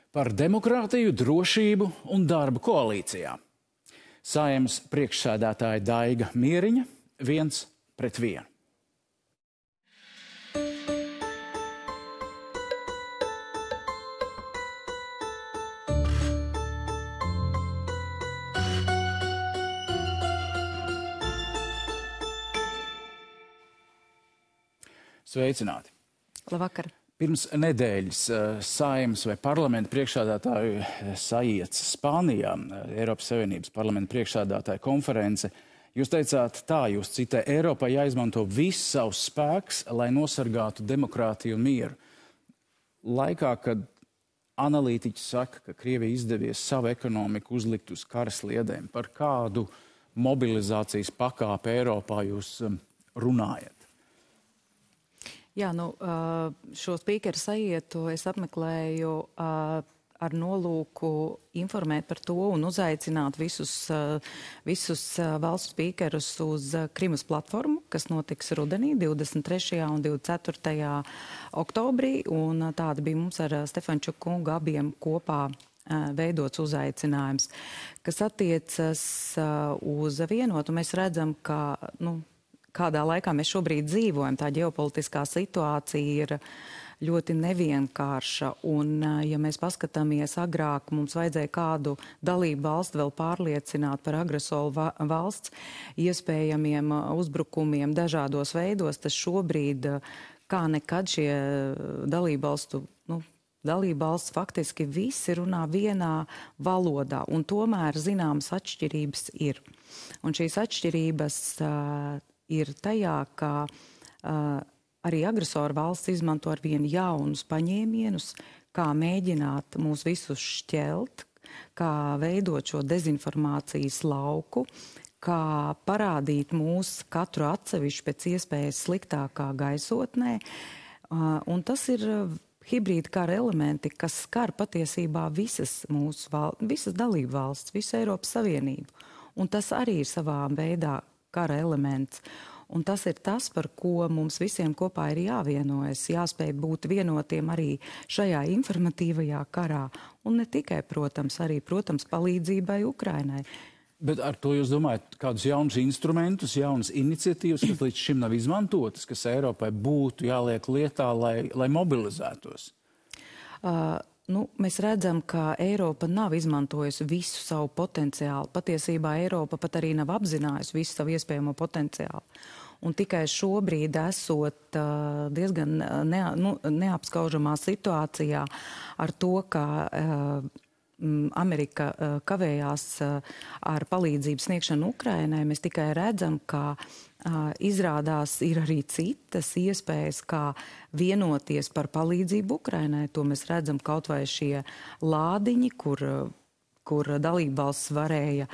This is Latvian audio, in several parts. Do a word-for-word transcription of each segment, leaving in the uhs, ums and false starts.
Par demokrātiju, drošību un darbu koalīcijā. Saeimas priekšsēdētāja Daiga Mieriņa viens pret vienu. Sveicināti! Labvakar! Pirms nedēļas Saeimas vai parlamenta priekšsēdētāju sajieca Spānijā, Eiropas Savienības parlamenta priekšsēdētāja konference. Jūs teicāt tā, jūs citē, Eiropai jāizmanto viss savs spēks, lai nosargātu demokrātiju un mieru. Laikā, kad analītiķi saka, ka Krievija izdevies savu ekonomiku uzlikt uz kara sliedēm, par kādu mobilizācijas pakāpi Eiropā jūs runājat? Jā, nu, šo spīkeru sajietu es apmeklēju ar nolūku informēt par to un uzaicināt visus, visus valsts spīkerus uz Krimas platformu, kas notiks rudenī, divdesmit trešajā un divdesmit ceturtajā oktobrī. Un tāda bija mums ar Stefančuku kungu abiem kopā veidots uzaicinājums, kas attiecas uz vienotu. Mēs redzam, ka, nu, kādā laikā mēs šobrīd dzīvojam, tā ģeopolitiskā situācija ir ļoti nevienkārša. Un, ja mēs paskatāmies agrāk, mums vajadzēja kādu dalību valstu vēl pārliecināt par agresoru valsts iespējamiem uzbrukumiem dažādos veidos, tas šobrīd kā nekad šie dalību valstu, nu, dalību valsts faktiski visi runā vienā valodā, un tomēr zināmas atšķirības ir. Un šīs atšķirības uh, ir tajā, ka uh, arī agresoru valsts izmanto ar vienu jaunus paņēmienus, kā mēģināt mūs visus šķelt, kā veidot šo dezinformācijas lauku, kā parādīt mūs katru atsevišķi pēc iespējas sliktākā gaisotnē. Uh, un tas ir uh, hibrīda kara elementi, kas skar patiesībā visas mūsu val visas dalību valsts, visu Eiropas Savienību. Un tas arī ir savā veidā kara elements. Un tas ir tas, par ko mums visiem kopā ir jāvienojas, jāspēj būt vienotiem arī šajā informatīvajā karā. Un ne tikai, protams, arī, protams, palīdzībai Ukrainai. Bet ar to jūs domājat kādus jaunus instrumentus, jaunas iniciatīvas, kas līdz šim nav izmantotas, kas Eiropai būtu jāliek lietā, lai, lai mobilizētos? Uh, Nu, mēs redzam, ka Eiropa nav izmantojusi visu savu potenciālu. Patiesībā Eiropa pat arī nav apzinājusi visu savu iespējamo potenciālu. Un tikai šobrīd esot uh, diezgan ne, nu, neapskaužamā situācijā ar to, ka uh, Amerika uh, kavējās uh, ar palīdzību sniegšanu Ukrainai, mēs tikai redzam, ka uh, izrādās ir arī citas iespējas, kā vienoties par palīdzību Ukrainai. To mēs redzam kaut vai šie lādiņi, kur, kur dalībvalsts varēja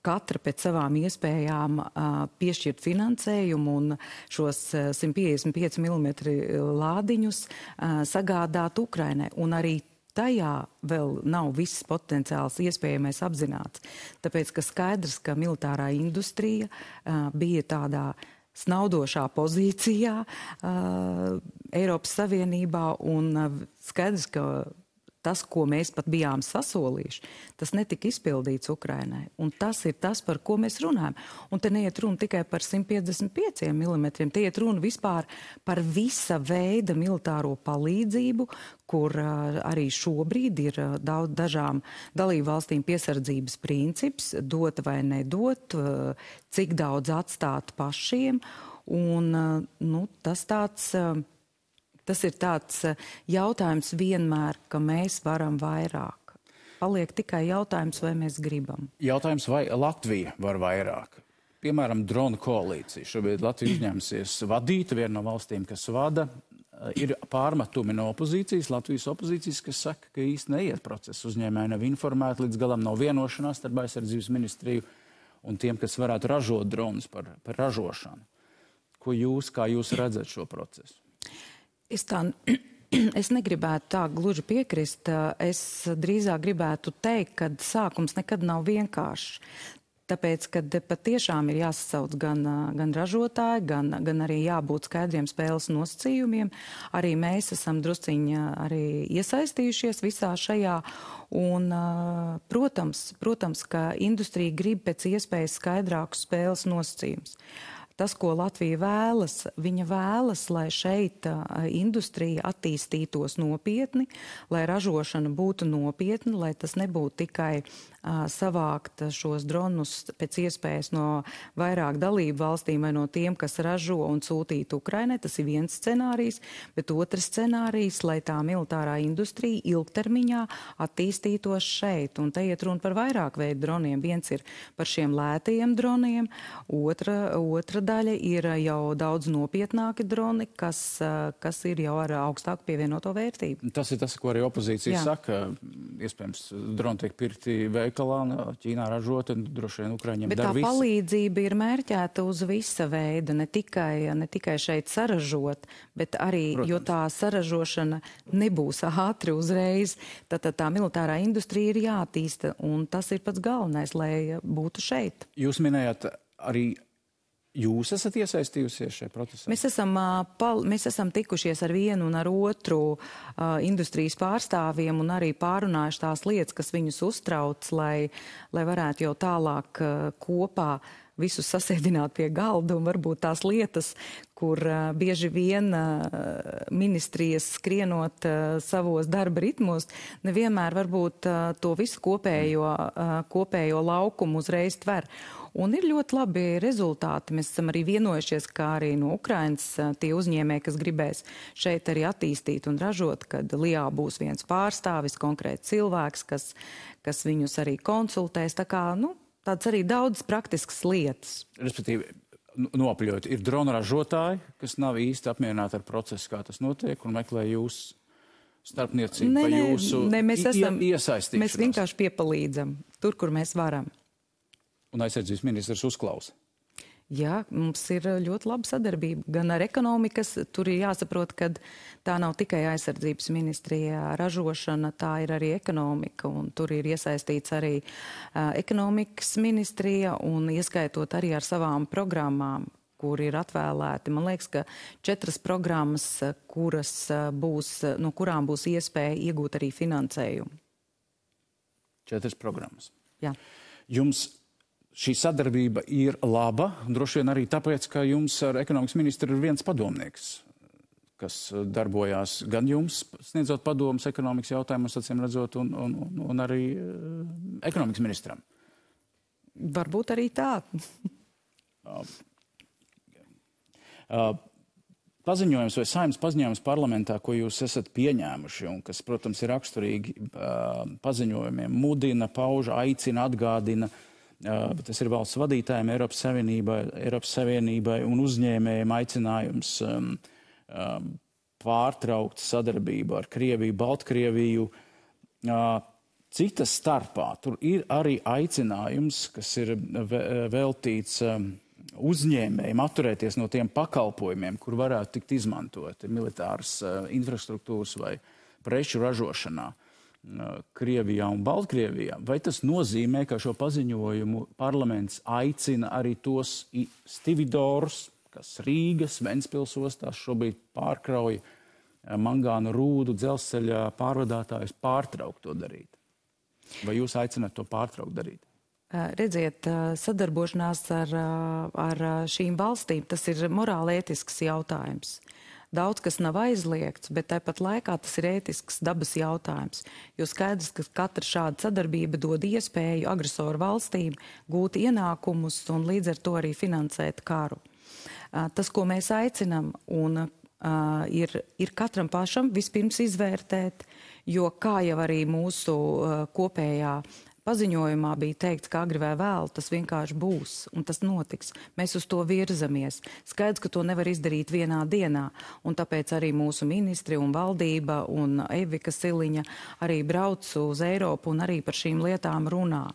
katra pēc savām iespējām uh, piešķirt finansējumu un šos uh, simt piecdesmit pieci milimetri lādiņus uh, sagādāt Ukrainai. Un arī tajā vēl nav viss potenciāls iespējamais apzināts. Tāpēc, ka skaidrs, ka militārā industrija uh, bija tādā snaudošā pozīcijā uh, Eiropas Savienībā, un uh, skaidrs, ka tas, ko mēs pat bijām sasolījuši, tas netika izpildīts Ukrainai. Un tas ir tas, par ko mēs runājam. Un te neiet runa tikai par simt piecdesmit pieciem milimetriem, te iet runa vispār par visa veida militāro palīdzību, kur uh, arī šobrīd ir uh, daudz dažām dalību valstīm piesardzības princips, dot vai nedot, uh, cik daudz atstāt pašiem. Un uh, nu, tas tāds... Uh, Tas ir tāds jautājums vienmēr, ka mēs varam vairāk. Paliek tikai jautājums, vai mēs gribam. Jautājums, vai Latvija var vairāk? Piemēram, drona koalīcija. Šobrīd Latvija uzņemsies vadīta, viena no valstīm, kas vada. Ir pārmetumi no opozīcijas, Latvijas opozīcijas, kas saka, ka īsti neiet process. Uzņēmēji nav informēti, līdz galam nav vienošanās starp aizsardzības ministriju un tiem, kas varētu ražot dronus par, par ražošanu. Ko jūs, kā jūs redzat šo procesu? Es, tā, es negribētu tā gluži piekrist. Es drīzāk gribētu teikt, ka sākums nekad nav vienkāršs. Tāpēc, ka patiešām ir jāsasauc gan, gan ražotāji, gan, gan arī jābūt skaidriem spēles nosacījumiem. Arī mēs esam drusciņi arī iesaistījušies visā šajā. Un, protams, protams, ka industrija grib pēc iespējas skaidrākus spēles nosacījumus. Tas, ko Latvija vēlas, viņa vēlas, lai šeit industrija attīstītos nopietni, lai ražošana būtu nopietna, lai tas nebūtu tikai uh, savākt šos dronus pēc iespējas no vairāk dalību valstīm vai no tiem, kas ražo un sūtīt Ukrainai. Tas ir viens scenārijs, bet otrs scenārijs, lai tā militārā industrija ilgtermiņā attīstītos šeit. Un te iet runa par vairāk veidu droniem. Viens ir par šiem lētajiem droniem, otra, otra daļa ir jau daudz nopietnāki droni, kas, kas ir jau ar augstāku pievienoto vērtību. Tas ir tas, ko arī opozīcija Jā. saka. Iespējams, droni tiek pirkti veikalā, Ķīnā ražoti, droši vien Ukraiņiem Bet dara tā visu. palīdzība ir mērķēta uz visa veida, ne tikai, ne tikai šeit saražot, bet arī, Protams. jo tā saražošana nebūs ātri uzreiz, tad tā, tā militārā industrija ir jātīsta, un tas ir pats galvenais, lai būtu šeit. Jūs minējāt arī Jūs esat iesaistījusies šajā procesā? Mēs esam, pal, mēs esam tikušies ar vienu un ar otru uh, industrijas pārstāvjiem un arī pārunājuši tās lietas, kas viņus uztrauc, lai, lai varētu jau tālāk uh, kopā visus sasēdināt pie galda un varbūt tās lietas, kur uh, bieži vien uh, ministrijas skrienot uh, savos darba ritmos, nevienmēr varbūt uh, to visu kopējo, uh, kopējo laukumu uzreiz tver. Un ir ļoti labi rezultāti. Mēs esam arī vienojušies, kā arī no Ukrainas tie uzņēmēji, kas gribēs šeit arī attīstīt un ražot, kad Lijā būs viens pārstāvis, konkrēts cilvēks, kas, kas viņus arī konsultēs. Tā kā, nu, tāds arī daudz praktiskas lietas. Respektīvi, nopļot, ir drona ražotāji, kas nav īsti apmierināti ar procesu, kā tas notiek, un meklē jūs starpniecību vai jūsu ne, mēs esam, iesaistīšanos. Mēs vienkārši piepalīdzam tur, kur mēs varam. Un aizsardzības ministrs uzklausa. Jā, mums ir ļoti laba sadarbība. Gan ar ekonomikas, tur ir jāsaprot, ka tā nav tikai aizsardzības ministrija ražošana, tā ir arī ekonomika. Un tur ir iesaistīts arī uh, ekonomikas ministrija un ieskaitot arī ar savām programmām, kur ir atvēlēti. Man liekas, ka četras programmas, kuras būs, no kurām būs iespēja iegūt arī finansējumu. Četras programmas. Jā. Jums šī sadarbība ir laba, droši vien arī tāpēc, ka jums ar ekonomikas ministru ir viens padomnieks, kas darbojās gan jums, sniedzot padomus ekonomikas jautājumus, acīm redzot, un, un, un, un arī uh, ekonomikas ministram. Varbūt arī tā. uh, uh, paziņojums vai Saeimas paziņojums parlamentā, ko jūs esat pieņēmuši, un kas, protams, ir raksturīgi uh, paziņojumiem, mudina, pauž, aicina, atgādina, Uh, tas ir valsts vadītājiem, Eiropas Savienībai, Eiropas Savienībai un uzņēmējiem aicinājums um, um, pārtraukt sadarbību ar Krieviju, Baltkrieviju. Uh, citas starpā tur ir arī aicinājums, kas ir veltīts um, uzņēmējiem atturēties no tiem pakalpojumiem, kur varētu tikt izmantot militāras uh, infrastruktūras vai preču ražošanā Krievijā un Baltkrievijā. Vai tas nozīmē, ka šo paziņojumu parlaments aicina arī tos stividorus, kas Rīgas, Ventspils ostās šobrīd pārkrauja mangānu rūdu dzelzceļa pārvadātājus pārtraukt to darīt? Vai jūs aicināt to pārtraukt darīt? Redziet, sadarbošanās ar, ar šīm valstīm, tas ir morāli ētisks jautājums. Daudz kas nav aizliegts, bet tāpat laikā tas ir ētisks dabas jautājums. Jo skaidrs, ka katra šāda sadarbība dod iespēju agresoru valstīm gūt ienākumus un līdz ar to arī finansēt karu. Tas, ko mēs aicinam, un, uh, ir, ir katram pašam vispirms izvērtēt, jo kā jau arī mūsu uh, kopējā paziņojumā bija teikts, ka agri vai vēl tas vienkārši būs, un tas notiks. Mēs uz to virzamies. Skaidrs, ka to nevar izdarīt vienā dienā, un tāpēc arī mūsu ministri un valdība un Evika Siliņa arī brauc uz Eiropu un arī par šīm lietām runā.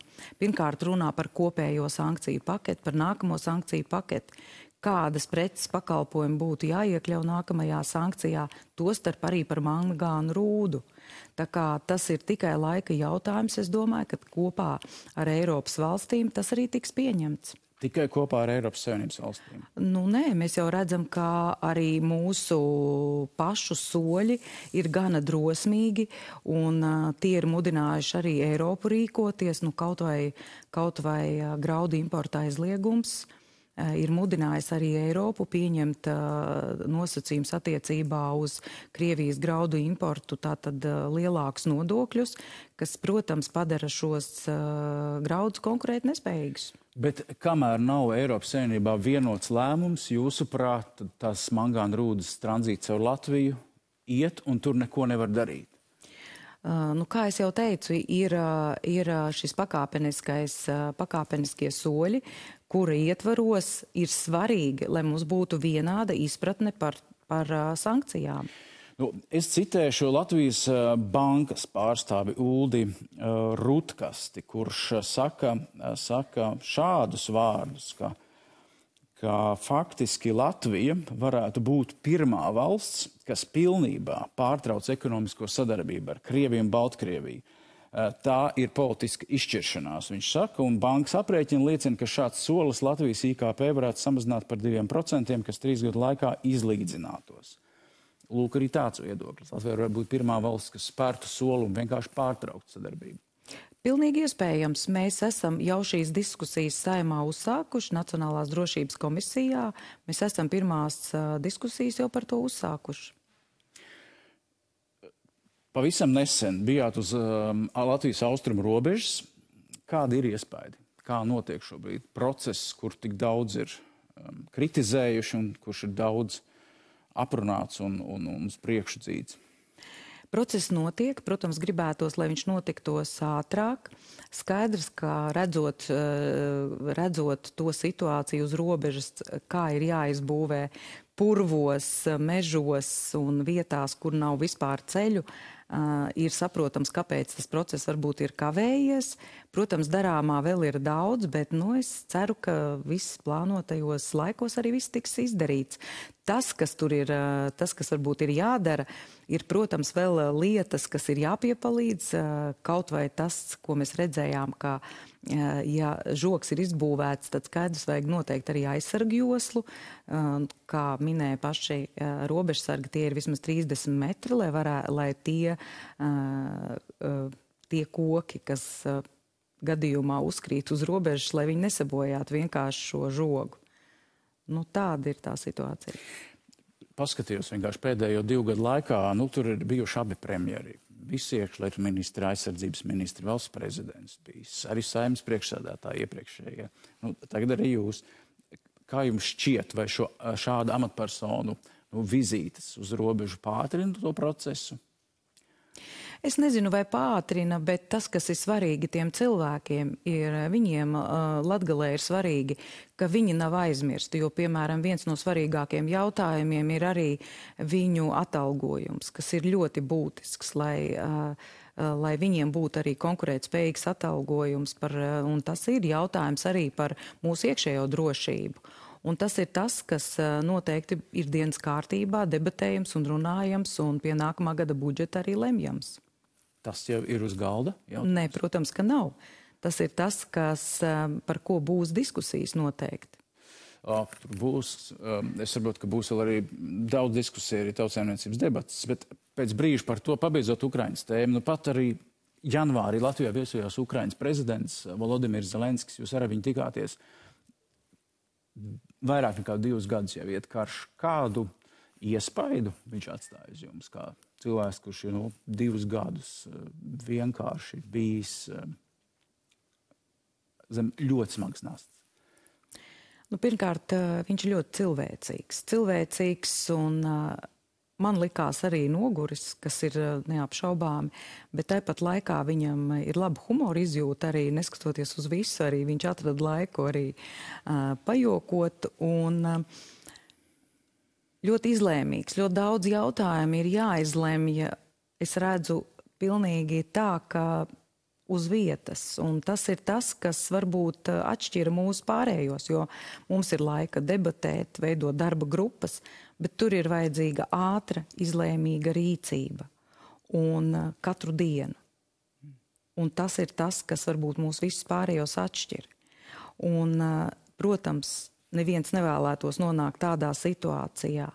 Pirmkārt runā par kopējo sankciju paketi, par nākamo sankciju paketi, kādas preces pakalpojumi būtu jāiekļau nākamajā sankcijā, tostarp arī par mangānu rūdu. Tā kā tas ir tikai laika jautājums, es domāju, ka kopā ar Eiropas valstīm tas arī tiks pieņemts. Tikai kopā ar Eiropas Savienības valstīm? Nu, nē, mēs jau redzam, ka arī mūsu pašu soļi ir gana drosmīgi, un uh, tie ir mudinājuši arī Eiropu rīkoties, nu, kaut vai, kaut vai uh, graudu importa aizliegums. Ir mudinājis arī Eiropu pieņemt uh, nosacījums attiecībā uz Krievijas graudu importu, tātad uh, lielākus nodokļus, kas, protams, padara šos uh, graudus konkurēt nespējīgus. Bet kamēr nav Eiropas Savienībā vienots lēmums, jūsuprāt, tās mangāna rūdas tranzīts caur Latviju iet un tur neko nevar darīt? Uh, nu, kā es jau teicu, ir, uh, ir šis pakāpeniskais, uh, pakāpeniskie soļi, kura ietvaros ir svarīgi, lai mums būtu vienāda izpratne par, par uh, sankcijām. Nu, es citēšu Latvijas uh, bankas pārstāvi Uldi uh, Rutkasti, kurš uh, saka, uh, saka šādus vārdus, ka ka faktiski Latvija varētu būt pirmā valsts, kas pilnībā pārtrauc ekonomisko sadarbību ar Krieviju un Baltkrieviju. Tā ir politiska izšķiršanās, viņš saka, un bankas aprēķina liecina, ka šāds solis Latvijas I K P varētu samazināt par diviem procentiem, kas trīs gadu laikā izlīdzinātos. Lūk, arī tāds viedoklis. Latvija varētu būt pirmā valsts, kas spērtu soli un vienkārši pārtraukt sadarbību. Pilnīgi iespējams. Mēs esam jau šīs diskusijas Saeimā uzsākuši Nacionālās drošības komisijā. Mēs esam pirmās uh, diskusijas jau par to uzsākuši. Pavisam nesen bijāt uz um, Latvijas austrumu robežas. Kādi ir iespaidi? Kā notiek šobrīd process, kur tik daudz ir um, kritizējuši un kurš ir daudz aprunāts un, un, un uz priekšu dzīts? Process notiek, protams, gribētos, lai viņš notiktos ātrāk. Skaidrs, ka redzot, redzot to situāciju uz robežas, kā ir jāizbūvē purvos, mežos un vietās, kur nav vispār ceļu, ir saprotams, kāpēc tas process varbūt ir kavējies. Protams, darāmā vēl ir daudz, bet nu, es ceru, ka viss plānotajos laikos arī viss tiks izdarīts. Tas, kas tur ir, tas, kas varbūt ir jādara, ir, protams, vēl lietas, kas ir jāpiepalīdz. Kaut vai tas, ko mēs redzējām, ka, ja žoks ir izbūvēts, tad skaidrs vajag noteikti arī aizsargu joslu. Kā minēja paši robežsargi, tie ir vismaz trīsdesmit metri, lai, varē, lai tie, tie koki, kas gadījumā uzkrīt uz robežas, lai viņi nesabojātu vienkārši šo žogu. Nu, tāda ir tā situācija. Paskatījos vienkārši pēdējo divu gadu laikā, nu, tur ir bijuši abi premjeri. Visi iekšlietu ministri, aizsardzības ministri, valsts prezidents bijis, arī Saeimas priekšsēdētāji iepriekšējie. Nu, tagad arī jūs. Kā jums šķiet, vai šo, šāda amatpersonu nu, vizītes uz robežu pātrina to procesu? Es nezinu, vai pātrina, bet tas, kas ir svarīgi tiem cilvēkiem, ir viņiem uh, Latgalē ir svarīgi, ka viņi nav aizmirsti, jo, piemēram, viens no svarīgākiem jautājumiem ir arī viņu atalgojums, kas ir ļoti būtisks, lai, uh, lai viņiem būtu arī konkurētspējīgs atalgojums, par, uh, un tas ir jautājums arī par mūsu iekšējo drošību. Un tas ir tas, kas noteikti ir dienas kārtībā, debatējams un runājams, un pie nākamā gada budžeta arī lemjams. Tas jau ir uz galda? Jautājums. Nē, protams, ka nav. Tas ir tas, kas, par ko būs diskusijas noteikti. O, būs, es saprotu, ka būs vēl arī daudz diskusiju, arī tautsēmniecības debatas, bet pēc brīža par to pabeidzot Ukrainas tēmu, nu pat arī janvārī Latvijā viesojās Ukrainas prezidents Volodimirs Zelenskis, jūs ar viņu tikāties. Vairāk nekā divus gadus jau iet karš. Kādu iespaidu viņš atstāja uz jums, kā cilvēks, kurš ir nu, divus gadus vienkārši bijis zem ļoti smagas nastas? Nu, pirmkārt, viņš ir ļoti cilvēcīgs. Cilvēcīgs un man likās arī noguris, kas ir neapšaubāmi, bet tāpat laikā viņam ir laba humora izjūta arī, neskatoties uz visu, arī viņš atrada laiku arī uh, pajokot un uh, ļoti izlēmīgs. Ļoti daudz jautājumu ir jāizlemj. Es redzu pilnīgi tā, ka uz vietas. Un tas ir tas, kas varbūt atšķira mūsu pārējos, jo mums ir laika debatēt, veidot darba grupas, bet tur ir vajadzīga ātra, izlēmīga rīcība. Un katru dienu. Un tas ir tas, kas varbūt mūs visus pārējos atšķir. Un, protams, neviens nevēlētos nonākt tādā situācijā.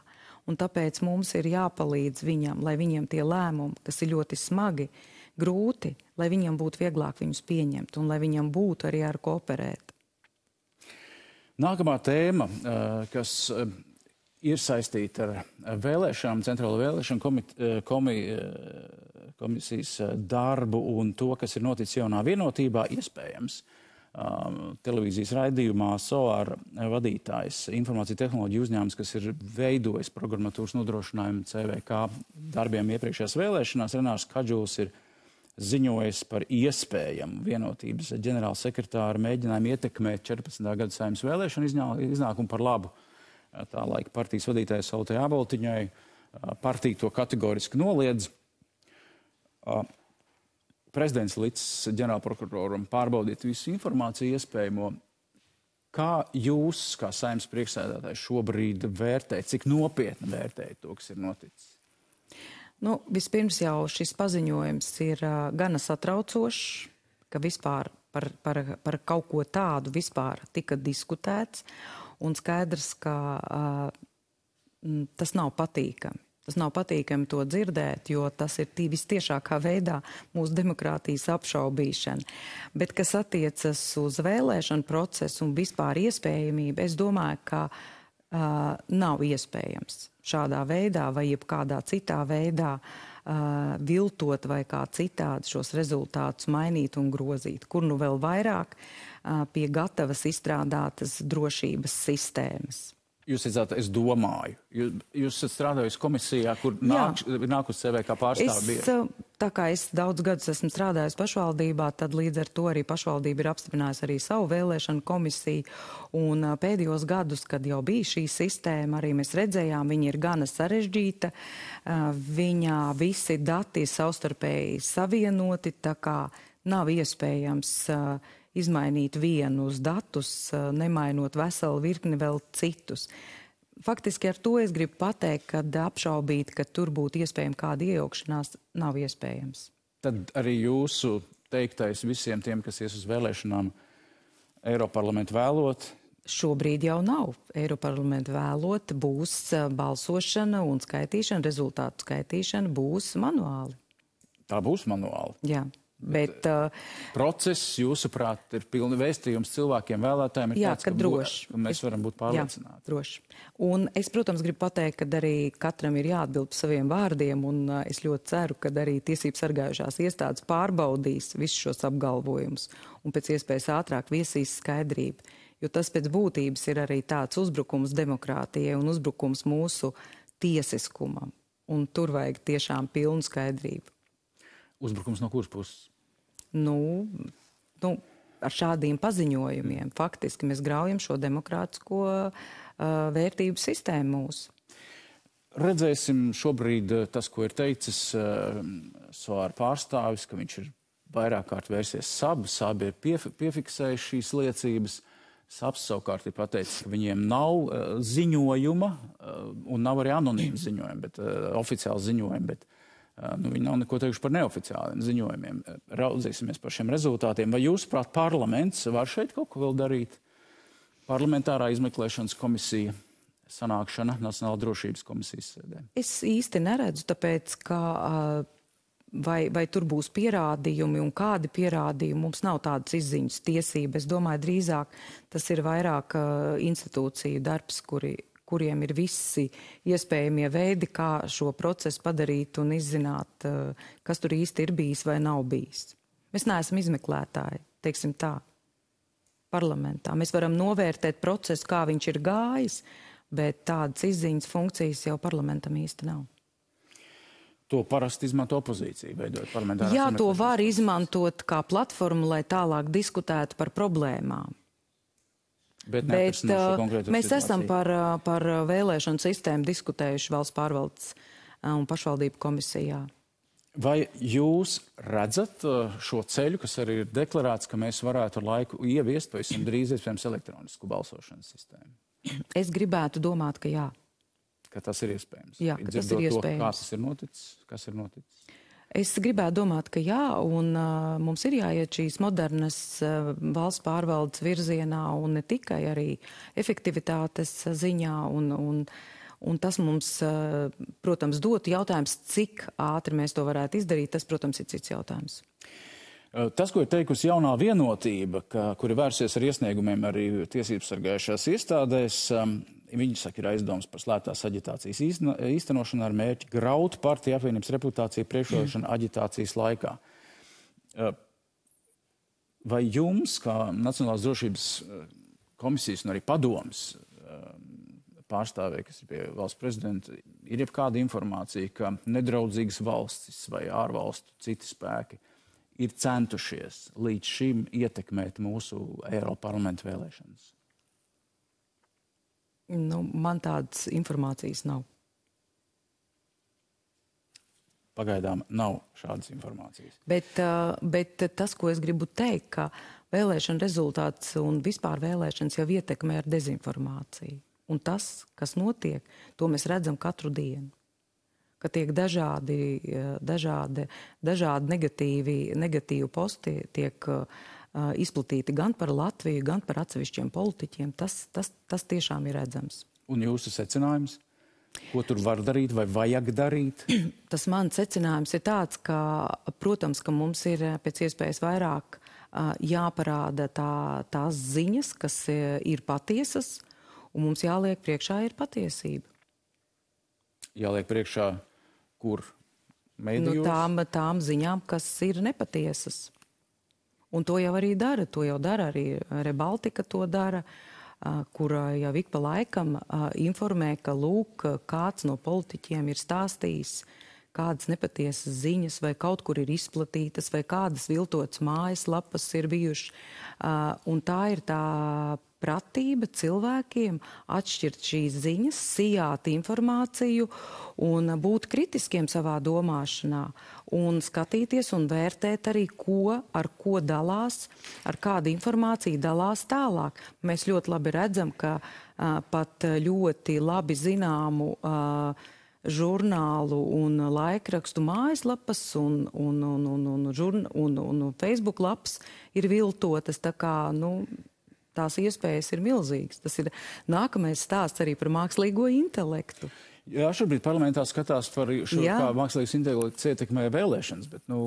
Un tāpēc mums ir jāpalīdz viņam, lai viņiem tie lēmumi, kas ir ļoti smagi, grūti, lai viņam būtu vieglāk viņus pieņemt un lai viņam būtu arī ar ko operēt. Nākamā tēma, kas ir saistīta ar vēlēšanām, centrālo vēlēšanu komit, komi, komisijas darbu un to, kas ir noticis jaunā vienotībā, iespējams. Um, televīzijas raidījumā S O A R vadītājs, informācija tehnoloģiju uzņēmums, kas ir veidojis programmatūras nodrošinājumu C V K darbiem iepriekšējās vēlēšanās, Renārs Kadžuls ir ziņojis par iespējamu vienotības ģenerāla sekretāra mēģinājumu ietekmēt četrpadsmitā gada Saeimas vēlēšanu iznākumu par labu. Tā laika partijas vadītāja Sautai Aboltiņai, partija to kategoriski noliedz. Prezidents licis ģenerālprokuroram pārbaudīt visu informāciju iespējamo. Kā jūs, kā Saeimas priekšsēdētājs, šobrīd vērtējat, cik nopietni vērtējat to, kas ir noticis? Nu, vispirms jau šis paziņojums ir uh, gana satraucošs, ka vispār par, par, par kaut ko tādu vispār tika diskutēts, un skaidrs, ka uh, tas nav patīkami. Tas nav patīkami to dzirdēt, jo tas ir vistiešākā veidā mūsu demokrātijas apšaubīšana. Bet, kas attiecas uz vēlēšanu procesu un vispār iespējamību, es domāju, ka uh, nav iespējams šādā veidā vai jebkādā citā veidā uh, viltot vai kā citādi šos rezultātus mainīt un grozīt. Kur nu vēl vairāk uh, pie gatavas izstrādātas drošības sistēmas. Jūs teicāt, es domāju. Jūs, jūs esat strādājusi komisijā, kur nāk, nāk uz C V K pārstāvi. Es, tā kā es daudz gadus esmu strādājusi pašvaldībā, tad līdz ar to arī pašvaldība ir apstiprinājusi arī savu vēlēšanu komisiju. Un pēdējos gadus, kad jau bija šī sistēma, arī mēs redzējām, viņa ir gana sarežģīta. Viņā visi dati ir savstarpēji savienoti, tā kā nav iespējams izmainīt vienus datus, nemainot veselu virkni vēl citus. Faktiski ar to es gribu pateikt, ka apšaubīt, ka tur būtu iespējama kāda iejaukšanās, nav iespējams. Tad arī jūsu teiktais visiem tiem, kas ies uz vēlēšanām, Eiroparlamentu vēlot? Šobrīd jau nav. Eiroparlamentu vēlot, būs balsošana un skaitīšana, rezultātu skaitīšana būs manuāli. Tā būs manuāli? Jā. Bet, uh, process, jūsuprāt, ir pilni vēstījums cilvēkiem, vēlētājiem, ir jā, tāds, ka, ka droši. Bū, mēs varam būt pārliecināti. Jā, droši. Un es, protams, gribu pateikt, ka arī katram ir jāatbild par saviem vārdiem, un uh, es ļoti ceru, ka arī tiesības sargājušās iestādes pārbaudīs visus šos apgalvojumus un pēc iespējas ātrāk viesīs skaidrību. Jo tas pēc būtības ir arī tāds uzbrukums demokrātijai un uzbrukums mūsu tiesiskumam. Un tur vajag tiešām pilnu skaidrību. Uzbrukums no kuras puses? Nu, nu, ar šādiem paziņojumiem faktiski mēs graujam šo demokrātisko uh, vērtību sistēmu mūsu. Redzēsim šobrīd tas, ko ir teicis uh, S O A R pārstāvis, ka viņš ir vairāk kārt vērsies sabu, sabi ir pief piefiksējuši šīs liecības. Saps savukārt ir pateicis, ka viņiem nav uh, ziņojuma uh, un nav arī anonīma ziņojuma, bet uh, oficiāli ziņojuma, bet Nu, viņi nav neko teikuši par neoficiāliem ziņojumiem. Raudzīsimies par šiem rezultātiem. Vai jūs, prāt, parlaments var šeit kaut ko vēl darīt? Parlamentārā izmeklēšanas komisija, sanākšana Nacionāla drošības komisijas sēdē. Es īsti neredzu, tāpēc, ka vai, vai tur būs pierādījumi un kādi pierādījumi, mums nav tādas izziņas tiesības. Es domāju, drīzāk tas ir vairāk institūciju darbs, kuri kuriem ir visi iespējamie veidi, kā šo procesu padarīt un izzināt, kas tur īsti ir bijis vai nav bijis. Mēs neesam izmeklētāji, teiksim tā, parlamentā. Mēs varam novērtēt procesu, kā viņš ir gājis, bet tādas izziņas funkcijas jau parlamentam īsti nav. To parasti izmanto opozīcija, veidot parlamentārās. Jā, to var izmantot kā platformu, lai tālāk diskutētu par problēmām. Bet, Bet uh, mēs situāciju. esam par, par vēlēšanu sistēmu diskutējuši valsts pārvaldes un pašvaldību komisijā. Vai jūs redzat šo ceļu, kas arī ir deklarēts, ka mēs varētu ar laiku ieviest pavisam drīz iespējams elektronisku balsošanas sistēmu? Es gribētu domāt, ka jā. Ka tas ir iespējams? Jā, ka tas ir iespējams. To, kā tas ir noticis? Kas ir noticis? Es gribētu domāt, ka jā, un uh, mums ir jāiet šīs modernas uh, valsts pārvaldes virzienā, un ne tikai arī efektivitātes ziņā, un, un Un tas mums, protams, dotu jautājums, cik ātri mēs to varētu izdarīt, tas, protams, ir cits jautājums. Tas, ko ir teikusi jaunā vienotība, ka, kuri vērsies ar iesniegumiem arī tiesības sargājušās iestādēs, viņi saka, ir aizdoms par slēptās aģitācijas īstenošanu ar mērķi graut partiju apvienības reputāciju priekšvēlēšanu aģitācijas laikā. Vai jums, kā Nacionālās drošības komisijas un arī padomes pārstāvēji, kas ir pie valsts prezidenta, ir jebkāda informācija, ka nedraudzīgas valstis vai ārvalstu citi spēki ir centušies līdz šim ietekmēt mūsu Eiroparlamenta vēlēšanas? Nu, man tādas informācijas nav. Pagaidām nav šādas informācijas. Bet, bet tas, ko es gribu teikt, ka vēlēšana rezultāts un vispār vēlēšanas jau ietekmē ar dezinformāciju. Un tas, kas notiek, to mēs redzam katru dienu. Ka tiek dažādi, dažādi, dažādi negatīvi, negatīvi posti tiek uh, izplatīti gan par Latviju, gan par atsevišķiem politiķiem. Tas, tas, tas tiešām ir redzams. Un jūsu secinājums? Ko tur var darīt vai vajag darīt? Tas mans secinājums ir tāds, ka, protams, ka mums ir pēc iespējas vairāk uh, jāparāda tā, tās ziņas, kas ir patiesas, un mums jāliek priekšā ir patiesība. Jāliek priekšā, kur medijos? Nu, tām, tām ziņām, kas ir nepatiesas. Un to jau arī dara, to jau dara arī Rebaltika to dara, kur jau ik pa laikam informē, ka lūk, kāds no politiķiem ir stāstījis, kādas nepatiesas ziņas vai kaut kur ir izplatītas vai kādas viltotas mājaslapas ir bijušas. Un tā ir tā pratība cilvēkiem atšķirt šīs ziņas, sijāt informāciju un būt kritiskiem savā domāšanā un skatīties un vērtēt arī, ko, ar ko dalās, ar kādu informāciju dalās tālāk. Mēs ļoti labi redzam, ka uh, pat ļoti labi zināmu uh, žurnālu un laikrakstu mājaslapas un, un, un, un, un, žurn, un, un, un Facebook lapas ir viltotas, tā kā, nu, tās iespējas ir milzīgas. Tas ir nākamais stāsts arī par mākslīgo intelektu. Jā, šobrīd parlamentā skatās par šo, Jā. kā mākslīgais intelekts ietekmē vēlēšanas, bet, nu,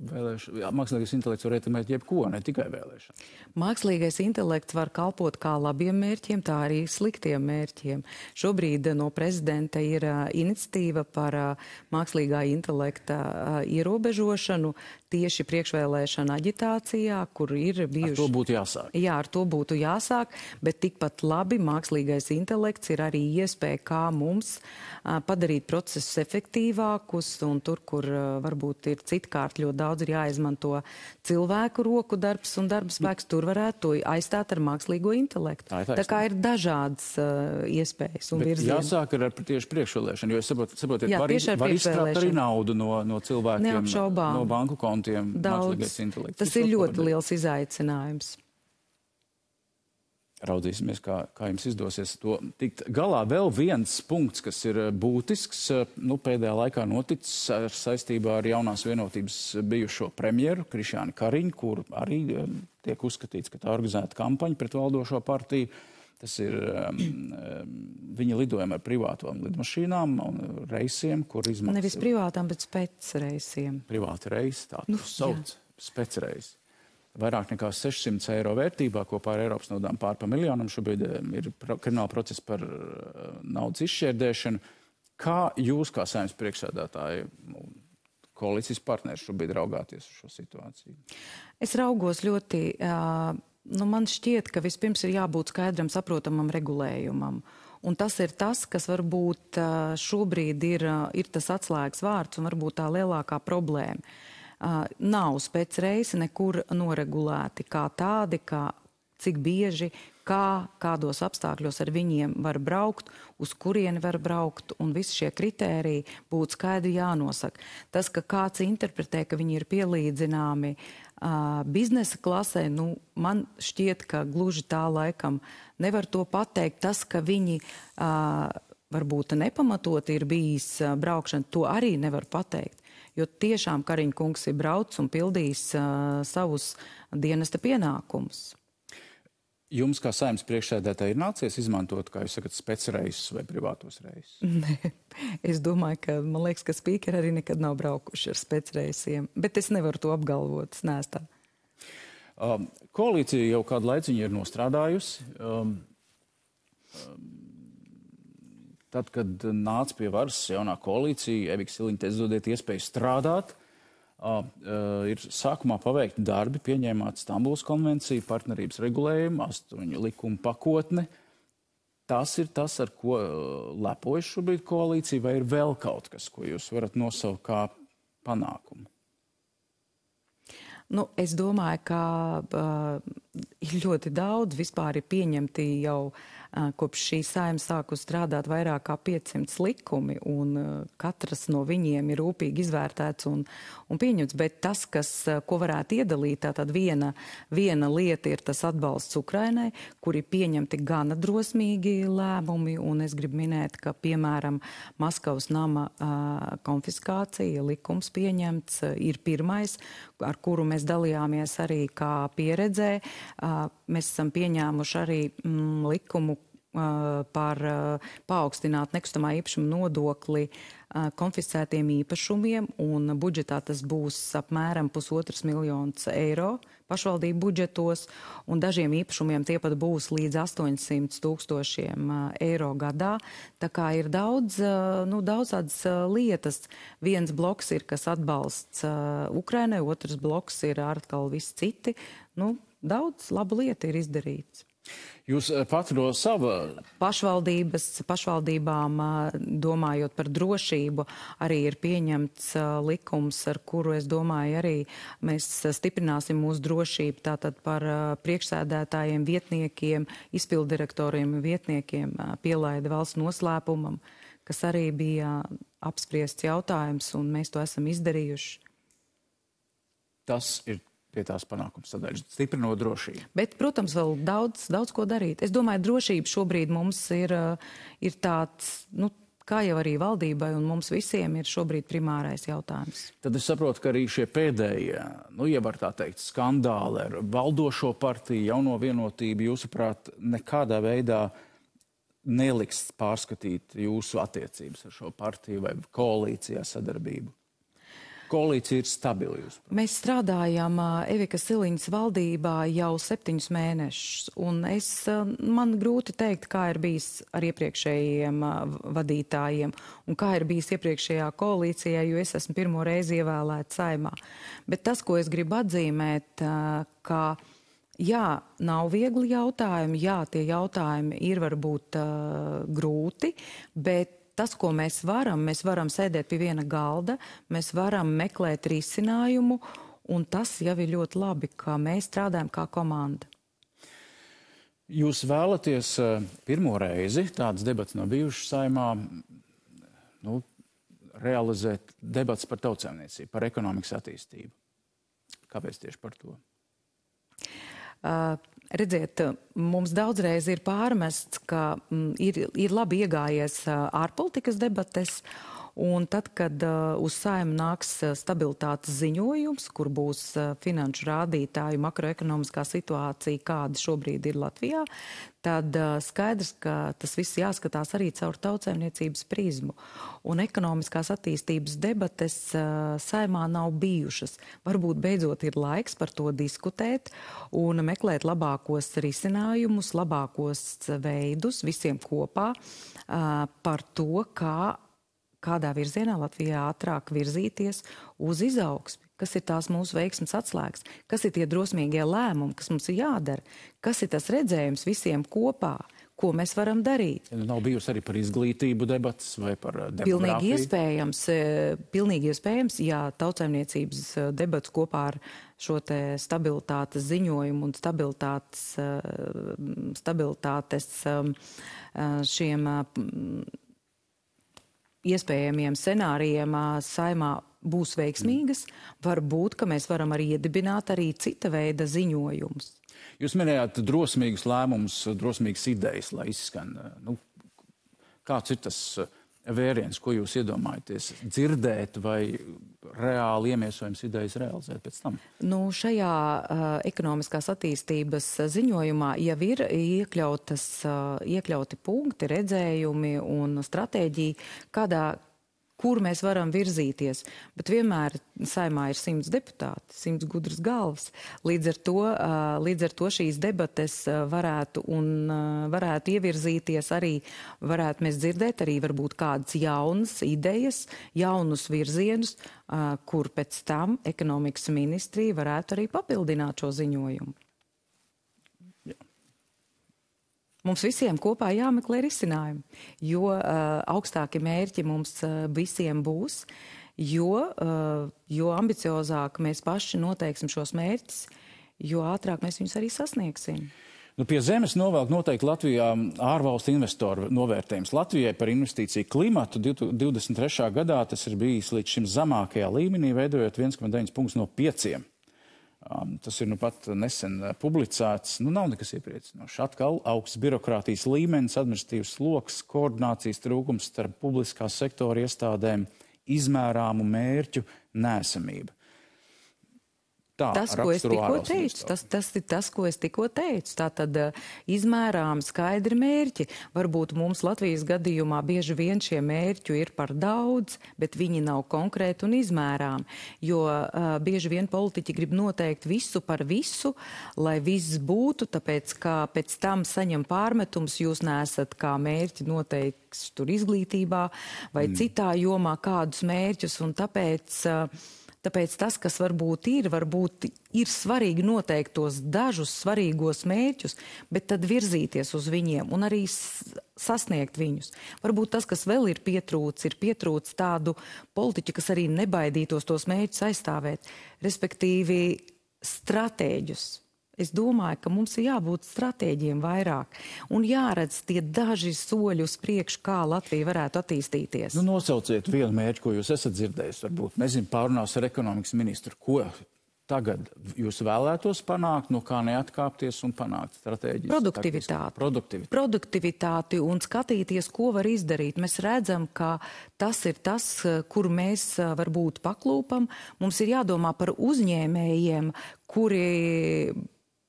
vēlēš... Jā, mākslīgais intelekts var ietekmēt jebko, ne tikai vēlēšanas. Mākslīgais intelekts var kalpot kā labiem mērķiem, tā arī sliktiem mērķiem. Šobrīd no prezidenta ir uh, iniciatīva par uh, mākslīgā intelekta uh, ierobežošanu tieši priekšvēlēšana aģitācijā, kur ir bijuši... Ar to būtu jāsāk. Jā, ar to būtu jāsāk, bet tikpat labi mākslīgais intelekts ir arī iespēja, kā mums uh, padarīt procesus efektīvākus, un tur, kur uh, varbūt ir citkārt ļoti daudz ir jāizmanto cilvēku roku darbs un darba spēks, tur varētu to aizstāt ar mākslīgo intelektu. Tā, tā kā ir dažādas uh, iespējas un virzieni. Jāsāk ar tieši priekšvēlēšanu, jo es saprotu, saprotiet, Jā, var, var izstrāpt arī naudu no, no cilvēkiem, Neapšaubām. no banku kontiem. Daudz. Tas ir ļoti liels izaicinājums. Raudzīsimies, kā, kā jums izdosies to tikt galā. Vēl viens punkts, kas ir būtisks, nu, pēdējā laikā noticis ar saistībā ar jaunās vienotības bijušo premjeru Krišjānu Kariņu, kur arī tiek uzskatīts, ka tā organizēta kampaņa pret valdošo partiju. Tas ir um, viņa lidojumi ar privātām lidmašīnām un reisiem, kur izmaksā... Nevis privātām, bet specreisiem. Privāti reisi, tā Nu, nu, sauc, specreisi. Vairāk nekā sešsimt eiro vērtībā, kopā ar Eiropas naudām pār pa miljonam. Šobrīd ir krimināla process par naudas izšķērdēšanu. Kā jūs, kā Saeimas priekšsēdētāji, koalīcijas partneri, šobrīd raugāties uz šo situāciju? Es raugos ļoti... Uh, Nu, man šķiet, ka vispirms ir jābūt skaidram, saprotamam regulējumam. Un tas ir tas, kas varbūt šobrīd ir, ir tas atslēgas vārds un varbūt tā lielākā problēma. Nav specreisi nekur noregulēti kā tādi, kā cik bieži, kā, kādos apstākļos ar viņiem var braukt, uz kurieni var braukt, un visi šie kritēriji būtu skaidri jānosaka. Tas, ka kāds interpretē, ka viņi ir pielīdzināmi uh, biznesa klasē, nu, man šķiet, ka gluži tā laikam nevar to pateikt. Tas, ka viņi uh, varbūt nepamatot ir bijis uh, braukšana, to arī nevar pateikt. Jo tiešām Kariņa kungs ir brauc un pildījis uh, savus dienesta pienākumus. Jums, kā Saeimas priekšsēdētāji, ir nācies izmantot, kā jūs sakat, specreisus vai privātos reisus? Nē, es domāju, ka, man liekas, ka spīkeri arī nekad nav braukuši ar specreisiem, bet es nevaru to apgalvot, es neesmu tā. Um, koalīcija jau kādu laiciņu ir nostrādājusi. Um, um, tad, kad nāca pie varas jaunā koalīcija, Evika Siliņa teica, dodiet iespēju strādāt. Uh, uh, ir sākumā paveikti darbi, pieņēmāt Stambulas konvenciju, partnerības regulējumu, astoņu likumu pakotni. Tas ir tas, ar ko uh, lepojas šobrīd koalīcija, vai ir vēl kaut kas, ko jūs varat nosaukt kā panākumu? Nu, es domāju, ka uh, ir ļoti daudz, vispār ir pieņemti jau uh, kopš šī Saeima sāku strādāt vairāk kā piecsimt likumi, un uh, katras no viņiem ir rūpīgi izvērtēts un, un pieņemts. Bet tas, kas, uh, ko varētu iedalīt, tātad viena, viena lieta ir tas atbalsts Ukrainai, kur ir pieņemti gana drosmīgi lēmumi, un es gribu minēt, ka, piemēram, Maskavas nama uh, konfiskācija likums pieņemts uh, ir pirmais, ar kuru mēs dalījāmies arī kā pieredzē. Uh, mēs esam pieņēmuši arī mm, likumu uh, par uh, paaugstināt nekustamā īpašuma nodokli uh, konfiscētiem īpašumiem, un budžetā tas būs apmēram pusotras miljonus eiro pašvaldību budžetos, un dažiem īpašumiem tie pat būs līdz astoņsimt tūkstošiem uh, eiro gadā. Tā kā ir daudz, uh, nu, daudz tādas uh, lietas. Viens bloks ir, kas atbalsts uh, Ukrainai, otrs bloks ir atkal visi citi. Nu, daudz labu lietu ir izdarīts. Jūs pat no sava... Pašvaldības, pašvaldībām, domājot par drošību, arī ir pieņemts likums, ar kuru, es domāju, arī mēs stiprināsim mūsu drošību, tātad par priekšsēdētājiem, vietniekiem, izpildirektoriem, vietniekiem pielaida valsts noslēpumam, kas arī bija apspriests jautājums, un mēs to esam izdarījuši. Tas ir pie tās panākums sadaļas, stiprinot drošību. Bet, protams, vēl daudz, daudz ko darīt. Es domāju, drošība šobrīd mums ir, ir tāds, nu, kā jau arī valdībai un mums visiem ir šobrīd primārais jautājums. Tad es saprotu, ka arī šie pēdējie, nu, ja var tā teikt, skandāli ar valdošo partiju, jauno vienotību, jūsuprāt, nekādā veidā neliks pārskatīt jūsu attiecības ar šo partiju vai koalīcijā sadarbību? Koalīcija ir stabila jūs? Mēs strādājam Evika Siliņas valdībā jau septiņus mēnešus, un es, man grūti teikt, kā ir bijis ar iepriekšējiem vadītājiem un kā ir bijis iepriekšējā koalīcijā, jo es esmu pirmo reizi ievēlēta Saeimā. Bet tas, ko es gribu atzīmēt, ka jā, nav viegli jautājumi, jā, tie jautājumi ir varbūt uh, grūti, bet tas, ko mēs varam, mēs varam sēdēt pie viena galda, mēs varam meklēt risinājumu, un tas jau ir ļoti labi, ka mēs strādājam kā komanda. Jūs vēlaties pirmo reizi, tādas debats nav bijušas Saeimā, nu, realizēt debats par tautsēmniecību, par ekonomikas attīstību. Kāpēc tieši par to? Uh, redziet, mums daudzreiz ir pārmests, ka mm, ir, ir labi iegājies uh, ārpolitikas debates, un tad, kad uh, uz Saeimu nāks uh, stabilitātes ziņojums, kur būs uh, finanšu rādītāju makroekonomiskā situācija, kāda šobrīd ir Latvijā, tad uh, skaidrs, ka tas viss jāskatās arī caur tautsēmniecības prizmu. Un ekonomiskās attīstības debates uh, Saeimā nav bijušas. Varbūt beidzot ir laiks par to diskutēt un meklēt labākos risinājumus, labākos veidus visiem kopā uh, par to, kā kādā virzienā Latvijā ātrāk virzīties uz izaugsmi, kas ir tās mūsu veiksmes atslēgas, kas ir tie drosmīgie lēmumi, kas mums ir jādara, kas ir tas redzējums visiem kopā, ko mēs varam darīt. Nav bijusi arī par izglītību debatas vai par demogrāfiju? Pilnīgi iespējams, pilnīgi iespējams, jā, Tautsaimniecības debats kopā ar šo te stabilitātes ziņojumu un stabilitātes, stabilitātes šiem iespējamiem scenārijiem Saeimā būs veiksmīgas. Varbūt, ka mēs varam arī iedibināt arī cita veida ziņojumus. Jūs minējāt drosmīgus lēmumus, drosmīgas idejas, lai izskan. Nu, kāds ir tas vēriens, ko jūs iedomājaties dzirdēt vai reāli iemiesojums idejas realizēt pēc tam? Nu, šajā uh, ekonomiskās attīstības ziņojumā jau ir iekļautas, uh, iekļauti punkti, redzējumi un stratēģija, kādā kur mēs varam virzīties, bet vienmēr Saeimā ir simts deputāti, simts gudras galvas. Līdz ar to, līdz ar to šīs debates varētu un varētu ievirzīties arī, varētu mēs dzirdēt arī varbūt kādas jaunas idejas, jaunus virzienus, kur pēc tam ekonomikas ministrija varētu arī papildināt šo ziņojumu. Mums visiem kopā jāmeklē risinājumi, jo uh, augstāki mērķi mums uh, visiem būs, jo, uh, jo ambiciozāk mēs paši noteiksim šos mērķus, jo ātrāk mēs viņus arī sasniegsim. Nu, pie zemes novelk noteikti Latvijā ārvalstu investoru novērtējums. Latvijai par investīciju klimatu divdesmit trešā gadā tas ir bijis līdz šim zemākajā līmenī, veidojot viens komats deviņi punktus no pieciem. Um, tas ir nu pat nesen publicēts. Nu, nav nekas iepriecinošs. Atkal augsts birokrātijas līmenis, administratīvs sloks, koordinācijas trūkums starp publiskā sektora iestādēm, izmērāmu mērķu neesamība. Tā, tas, ko es tikko teicu, tas, tas ir tas, ko es tikko teicu. Tātad izmērām skaidri mērķi. Varbūt mums Latvijas gadījumā bieži vien šie mērķi ir par daudz, bet viņi nav konkrēti un izmērām. Jo uh, bieži vien politiķi grib noteikt visu par visu, lai viss būtu, tāpēc, ka pēc tam saņem pārmetums, jūs neesat kā mērķi noteikts tur izglītībā vai mm. citā jomā kādus mērķus, un tāpēc... Uh, Tāpēc tas, kas varbūt ir, varbūt ir svarīgi noteikt tos dažus svarīgos mērķus, bet tad virzīties uz viņiem un arī sasniegt viņus. Varbūt tas, kas vēl ir pietrūcis, ir pietrūcis tādu politiķu, kas arī nebaidītos tos mērķus aizstāvēt, respektīvi stratēģus. Es domāju, ka mums ir jābūt stratēģiem vairāk un jāredz tie daži soļi uz priekšu, kā Latvija varētu attīstīties. Nu, nosauciet vienu mērķi, ko jūs esat dzirdējis, varbūt. Nezinu, pārunās ar ekonomikas ministru. Ko tagad jūs vēlētos panākt, no kā neatkāpties un panākt stratēģijas? Produktivitāti. Produktivitāti. Produktivitāti un skatīties, ko var izdarīt. Mēs redzam, ka tas ir tas, kur mēs varbūt paklūpam. Mums ir jādomā par uzņēmējiem, kuri...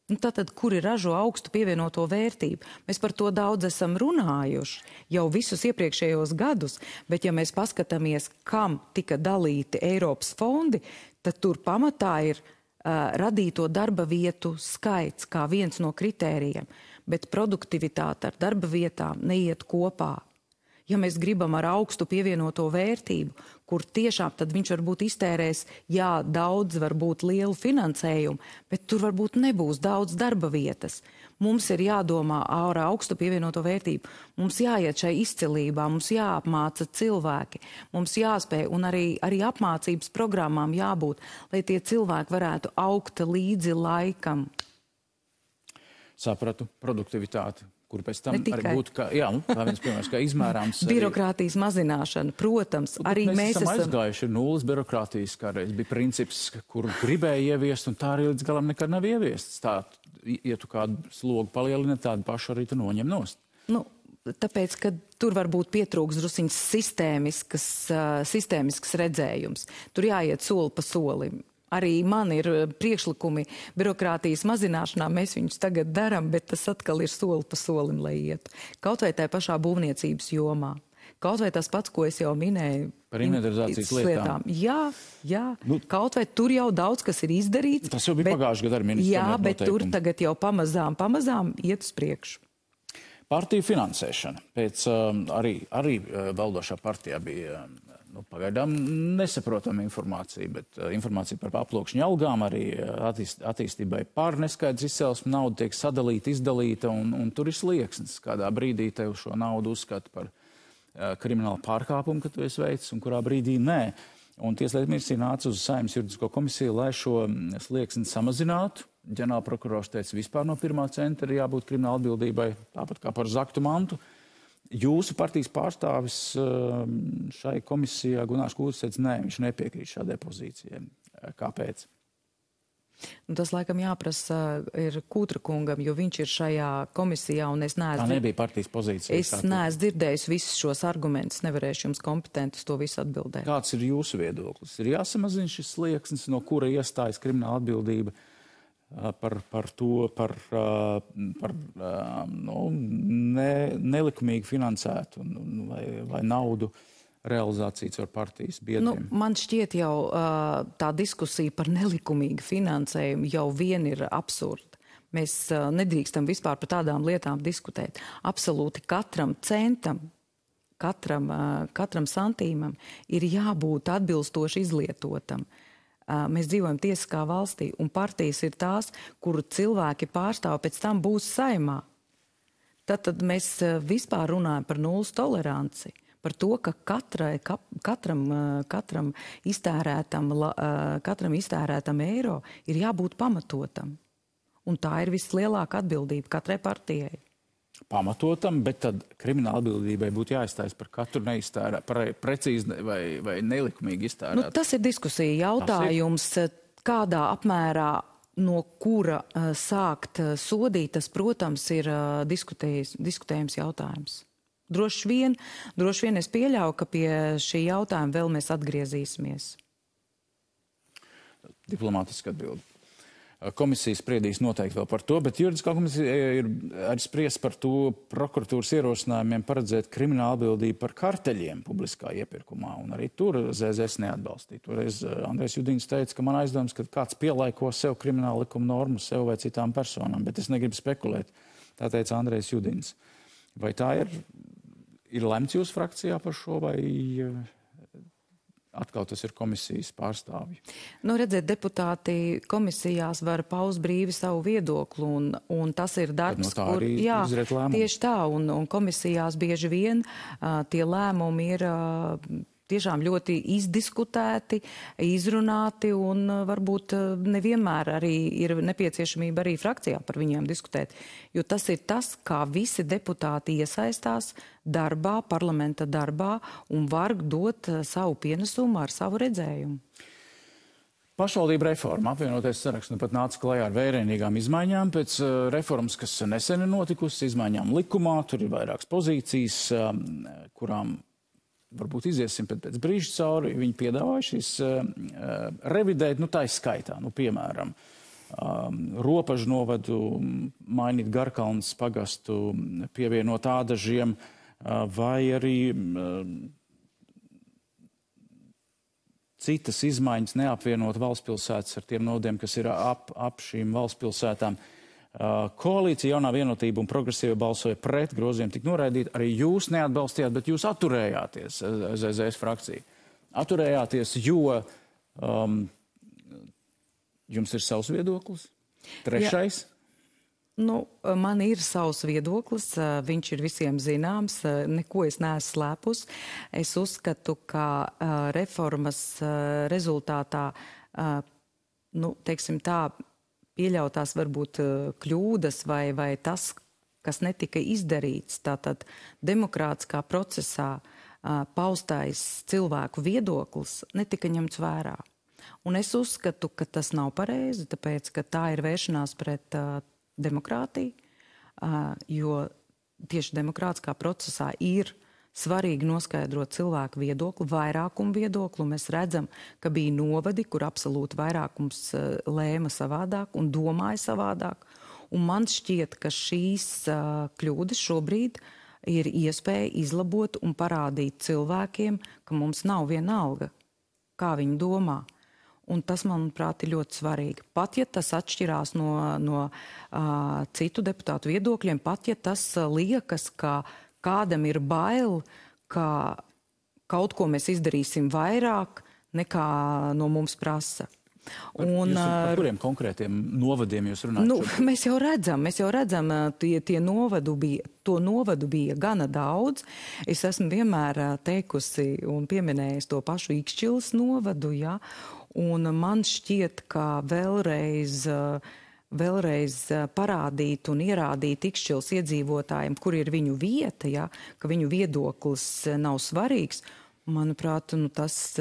Nu, tātad, kuri ražo augstu pievienoto vērtību. Mēs par to daudz esam runājuši jau visus iepriekšējos gadus, bet ja mēs paskatāmies, kam tika dalīti Eiropas fondi, tad tur pamatā ir uh, radīto darba vietu skaits kā viens no kritērijiem, bet produktivitāte ar darba vietām neiet kopā. Ja mēs gribam ar augstu pievienoto vērtību, kur tiešām tad viņš varbūt iztērēs, jā, daudz varbūt lielu finansējumu, bet tur varbūt nebūs daudz darba vietas. Mums ir jādomā ar augstu pievienoto vērtību. Mums jāiet šai izcilībā, mums jāapmāca cilvēki, mums jāspēj un arī, arī apmācības programmām jābūt, lai tie cilvēki varētu augt līdzi laikam. Sapratu, produktivitāti. Kur pēc tam arī būtu, kā, jā, nu, kā viens piemērs, kā izmērāms. Birokrātijas mazināšana, protams, nu, arī mēs, mēs esam esam... aizgājuši nulles birokrātijas, kā reiz bija princips, kur gribēja ieviest, un tā arī līdz galam nekad nav ieviests. Tā, ja tu kādu slogu palielini, tādu pašu arī tu noņem nost. Nu, tāpēc, ka tur varbūt pietrūks drusiņas sistēmiskas, uh, sistēmisks redzējums. Tur jāiet soli pa solim. Arī man ir priekšlikumi birokrātijas mazināšanā, mēs viņus tagad daram, bet tas atkal ir soli pa solim, lai ietu. Kaut vai tā pašā būvniecības jomā. Kaut vai tas pats, ko es jau minēju. Par inventarizācijas lietām. Jā, jā. Nu, kaut vai tur jau daudz, kas ir izdarīts. Tas jau bija pagājuši gadu ar ministru. Jā, bet noteikumi. Tur tagad jau pamazām, pamazām iet uz priekšu. Partiju finansēšana. Pēc um, arī, arī uh, valdošā partijā bija um, nu, pagaidām nesaprotama informācija, bet uh, informācija par aploksņu algām, arī attīst, attīstībai pār neskaidrs izcelsmes nauda tiek sadalīta, izdalīta, un, un tur ir slieksnis. Kādā brīdī tev šo naudu uzskata par uh, kriminālu pārkāpumu, ka tu esi veicis, un kurā brīdī nē. Un Tieslietu ministrija nāca uz Saeimas juridisko komisiju, lai šo slieksni samazinātu. Ģenerālprokurors teica, vispār no pirmā centra ir jābūt krimināla atbildībai, tāpat kā par zaktu mantu. Jūsu partijas pārstāvis šai komisijā, Gunārs Kūtis, teica, nē, viņš nepiekrīt šādai pozīcijai. Kāpēc? Nu, tas, laikam, jāprasa ir Kūtra kungam, jo viņš ir šajā komisijā, un es neesmu... Tā nebija partijas pozīcija. Es neesmu dzirdējis visus šos argumentus, nevarēšu jums kompetenti uz to visu atbildēt. Kāds ir jūsu viedoklis? Ir jāsamazina šis slieksnis, no kura iestājas krimināla atbildība par, par to, par, par nu, ne, nelikumīgi finansētu vai, vai naudu realizācijas ar partijas biedriem. Nu, man šķiet jau tā diskusija par nelikumīgu finansējumu jau vien ir absurda. Mēs nedrīkstam vispār par tādām lietām diskutēt. Absolūti katram centam, katram, katram santīmam ir jābūt atbilstoši izlietotam. Mēs dzīvojam tiesiskā valstī, un partijas ir tās, kuru cilvēki pārstāv pēc tam būs Saeimā. Tad, tad mēs vispār runājam par nulles toleranci, par to, ka katrai, katram, katram, iztērētam, katram iztērētam eiro ir jābūt pamatotam. Un tā ir vislielākā atbildība katrai partijai. Pamatotam, bet tad krimināla atbildībai būtu jāizstājas par katru neiztērē, par precīzi vai, vai nelikumīgi iztērēt. Nu, tas ir diskusija jautājums, kādā apmērā no kura uh, sākt uh, sodīt, tas, protams, ir uh, diskutējums jautājums. Droši vien, droši vien es pieļauju, ka pie šī jautājuma vēl mēs atgriezīsimies. Diplomātiski atbildi. Komisija spriedīs noteikti vēl par to, bet juridiskā komisija ir arī spriest par to prokuratūras ierosinājumiem paredzēt kriminālu atbildību par karteļiem publiskā iepirkumā. Un arī tur Z Z S neatbalstīja. Toreiz Andrejs Judins teica, ka man aizdoms, ka kāds pielaiko sev kriminālu likumu normu sev vai citām personām, bet es negribu spekulēt. Tā teica Andrejs Judins. Vai tā ir, ir lemts jūsu frakcijā par šo vai... Atkal tas ir komisijas pārstāvji. Nu, redziet, deputāti komisijās var paust brīvi savu viedokli, un, un tas ir darbs, no kur... Jā, tieši tā, un, un komisijās bieži vien uh, tie lēmumi ir uh, tiešām ļoti izdiskutēti, izrunāti, un uh, varbūt uh, nevienmēr arī ir nepieciešamība arī frakcijā par viņiem diskutēt. Jo tas ir tas, kā visi deputāti iesaistās darbā, parlamenta darbā, un var dot savu pienesumu ar savu redzējumu. Pašvaldība reforma. Apvienotais saraksts nu pat nāca klajā ar vērienīgām izmaiņām pēc uh, reformas, kas nesen ir notikusi, izmaiņām likumā. Tur ir vairākas pozīcijas, um, kurām varbūt iziesim pēc, pēc brīža cauri. Viņi piedāvāja šīs uh, revidēt, nu tā izskaitā, nu piemēram, um, Ropažu novadu, mainīt Garkalnas pagastu, pievienot Ādažiem, vai arī citas izmaiņas neapvienot valstspilsētas ar tiem novadiem, kas ir ap, ap šīm valstspilsētām. Koalīcija Jaunā vienotība un progresīva balsoja pret, grozījumi tika noraidīti. Arī jūs neatbalstījāt, bet jūs atturējāties, Z Z S frakcija. Atturējāties, jo um, jums ir savs viedoklis. Trešais. Ja. Nu, man ir savs viedoklis, viņš ir visiem zināms, neko es neesmu slēpus. Es uzskatu, ka reformas rezultātā, nu, teiksim tā, pieļautās varbūt kļūdas vai, vai tas, kas netika izdarīts, tātad demokrātiskā procesā paustais cilvēku viedoklis netika ņemts vērā. Un es uzskatu, ka tas nav pareizi, tāpēc, ka tā ir vēršanās pret demokrātiju, jo tieši demokrātiskā procesā ir svarīgi noskaidrot cilvēku viedokli, vairākumu viedokli, un mēs redzam, ka bija novadi, kur absolūti vairākums lēma savādāk un domāja savādāk. Un man šķiet, ka šīs kļūdas šobrīd ir iespēja izlabot un parādīt cilvēkiem, ka mums nav vienalga, kā viņi domā. Un tas, manuprāt, ir ļoti svarīgi. Pat, ja tas atšķirās no, no uh, citu deputātu viedokļiem, pat, ja tas uh, liekas, ka kādam ir bail, ka kaut ko mēs izdarīsim vairāk, nekā no mums prasa. Un, jūs, par kuriem konkrētiem novadiem jūs runājat? Nu, mēs jau redzam, mēs jau redzam, tie, tie novadu bija, to novadu bija gana daudz. Es esmu vienmēr teikusi un pieminējis to pašu Ikšķilas novadu, ja, un man šķiet, ka vēlreiz, vēlreiz parādīt un ierādīt Ikšķilas iedzīvotājiem, kur ir viņu vieta, ja, ka viņu viedoklis nav svarīgs, manuprāt, nu, tas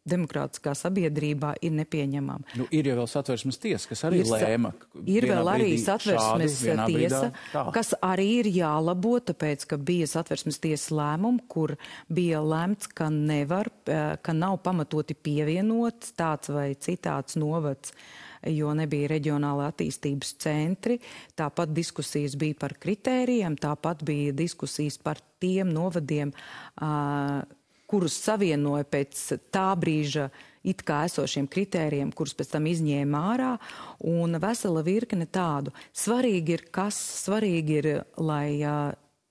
demokrātiskā sabiedrībā ir nepieņemama. Nu, ir jau vēl satversmes tiesa, kas arī ir, lēma. Ir vēl arī satversmes šādi, tiesa, brīdā, kas arī ir jālabo, tāpēc, ka bija satversmes tiesas lēmumi, kur bija lemts, ka nevar, ka nav pamatoti pievienots tāds vai citāds novads, jo nebija reģionāla attīstības centri. Tāpat diskusijas bija par kritērijiem, tāpat bija diskusijas par tiem novadiem, uh, kurus savienoja pēc tā brīža it kā esošiem kritērijiem, kurus pēc tam izņēma ārā, un vesela virkne tādu. Svarīgi ir kas? Svarīgi ir, lai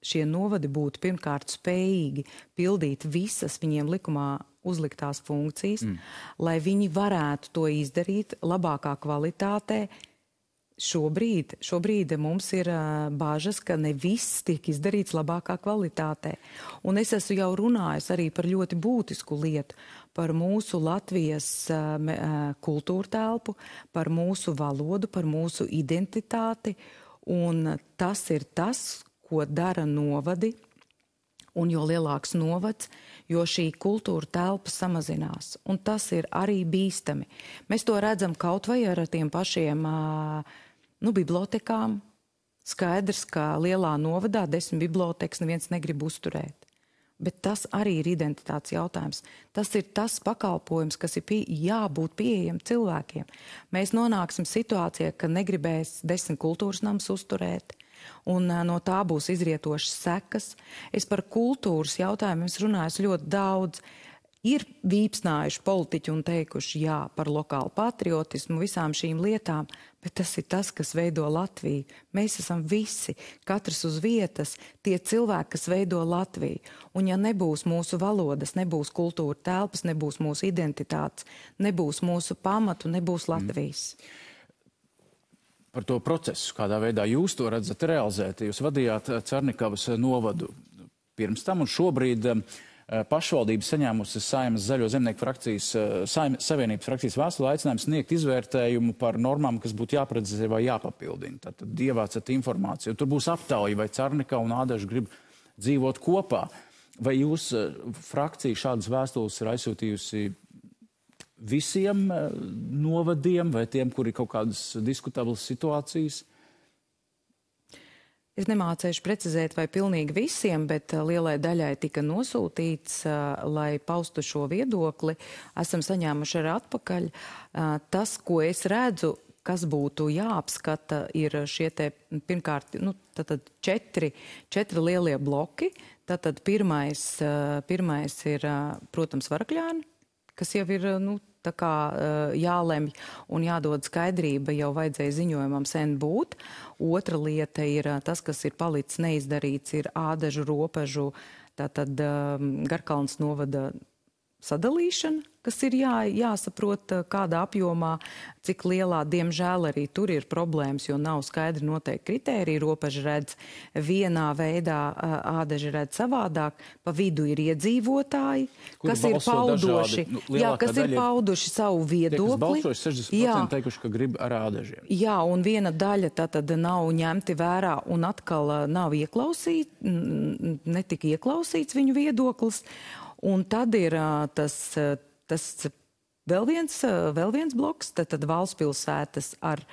šie novadi būtu pirmkārt spējīgi pildīt visas viņiem likumā uzliktās funkcijas, mm. lai viņi varētu to izdarīt labākā kvalitātē. Šobrīd, šobrīd mums ir uh, bāžas, ka ne viss tiek izdarīts labākā kvalitātē. Un es esmu jau runājis arī par ļoti būtisku lietu, par mūsu Latvijas uh, kultūra telpu, par mūsu valodu, par mūsu identitāti. Un tas ir tas, ko dara novadi. Un jo lielāks novads, jo šī kultūra telpa samazinās. Un tas ir arī bīstami. Mēs to redzam kaut vai ar tiem pašiem uh, nu, bibliotekām. Skaidrs, ka lielā novadā desmit bibliotekas neviens negrib uzturēt. Bet tas arī ir identitātes jautājums. Tas ir tas pakalpojums, kas ir pie, jābūt pieejam cilvēkiem. Mēs nonāksim situācijā, ka negribēs desmit kultūras namus uzturēt. Un no tā būs izrietošas sekas. Es par kultūras jautājumiem runāju ļoti daudz. Ir vīpsnājuši politiķi un teikuši jā par lokālu patriotismu, visām šīm lietām, bet tas ir tas, kas veido Latviju. Mēs esam visi, katrs uz vietas, tie cilvēki, kas veido Latviju. Un ja nebūs mūsu valodas, nebūs kultūra telpas, nebūs mūsu identitātes, nebūs mūsu pamatu, nebūs Latvijas. Mm. Par to procesu, kādā veidā jūs to redzat realizēt. Jūs vadījāt Carnikavas novadu pirms tam, un šobrīd pašvaldības saņēmusi Saeimas Zaļo zemnieku frakcijas, Saeimas Savienības frakcijas vēstuli aicinājumu sniegt izvērtējumu par normām, kas būtu jāprecizē vai jāpapildina. Tātad ievācat informāciju. Tur būs aptauja, vai Carnikava un Ādaža grib dzīvot kopā. Vai jūs frakcija šādas vēstules ir aizsūtījusi visiem novadiem vai tiem, kuri kaut kādas diskutablas situācijas? Es nemācēšu precizēt, vai pilnīgi visiem, bet lielai daļai tika nosūtīts, lai paustu šo viedokli. Esam saņēmuši arī atpakaļ. Tas, ko es redzu, kas būtu jāapskata, ir šie te, pirmkārt, nu, tātad četri, četri lielie bloki. Tātad pirmais, pirmais ir, protams, Varakļāni, kas jau ir, nu, tā kā jālemj un jādod skaidrība, jau vajadzēja ziņojumam sen būt. Otra lieta ir tas, kas ir palicis neizdarīts, ir Ādažu robežu, tātad Garkalnas novada sadalīšana, kas ir jā, jāsaprot kādā apjomā, cik lielā, diemžēl arī tur ir problēmas, jo nav skaidri noteikti kritēriji. Robeža redz vienā veidā, Ādaža redz savādāk, pa vidu ir iedzīvotāji, Kuri kas ir paudoši, dažādi, nu, jā, kas ir daļa, pauduši savu viedokli. Tie, kas balsojuši, sešdesmit procenti teikuši, ka grib ar Ādažiem. Jā, un viena daļa tātad nav ņemti vērā un atkal nav ieklausīt, netika ieklausīts viņu viedoklis. Un tad ir tas, tas vēl, viens, vēl viens bloks, tad, tad valstspilsētas ar,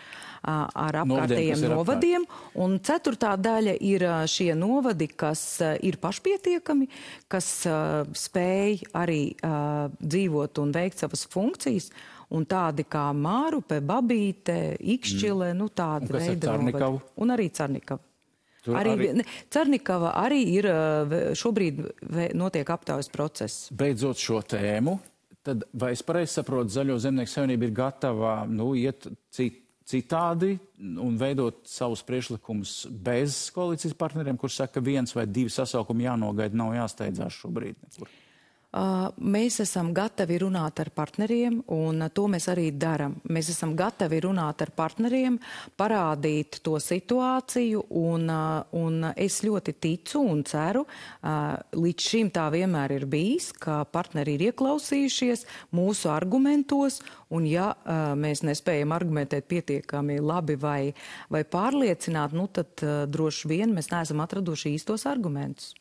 ar apkārtējiem novadiem. novadiem. Un ceturtā daļa ir šie novadi, kas ir pašpietiekami, kas spēj arī dzīvot un veikt savas funkcijas. Un tādi kā Mārupe, Babīte, Ikšķile, mm. nu tādi veidi novadi. Un arī Carnikava. Arī, arī... Carnikava arī ir, šobrīd notiek aptaujas process. Beidzot šo tēmu, tad vai es pareizi saprotu, Zaļo zemnieku savienība ir gatava nu, iet cit, citādi un veidot savus priekšlikumus bez koalīcijas partneriem, kurš saka, ka viens vai divi sasaukumi jānogaida, nav jāsteidzās šobrīd nekur? Mēs esam gatavi runāt ar partneriem, un to mēs arī daram. Mēs esam gatavi runāt ar partneriem, parādīt to situāciju, un, un es ļoti ticu un ceru, līdz šim tā vienmēr ir bijis, ka partneri ir ieklausījušies mūsu argumentos, un ja mēs nespējam argumentēt pietiekami labi vai, vai pārliecināt, nu tad droši vien mēs neesam atraduši īstos argumentus.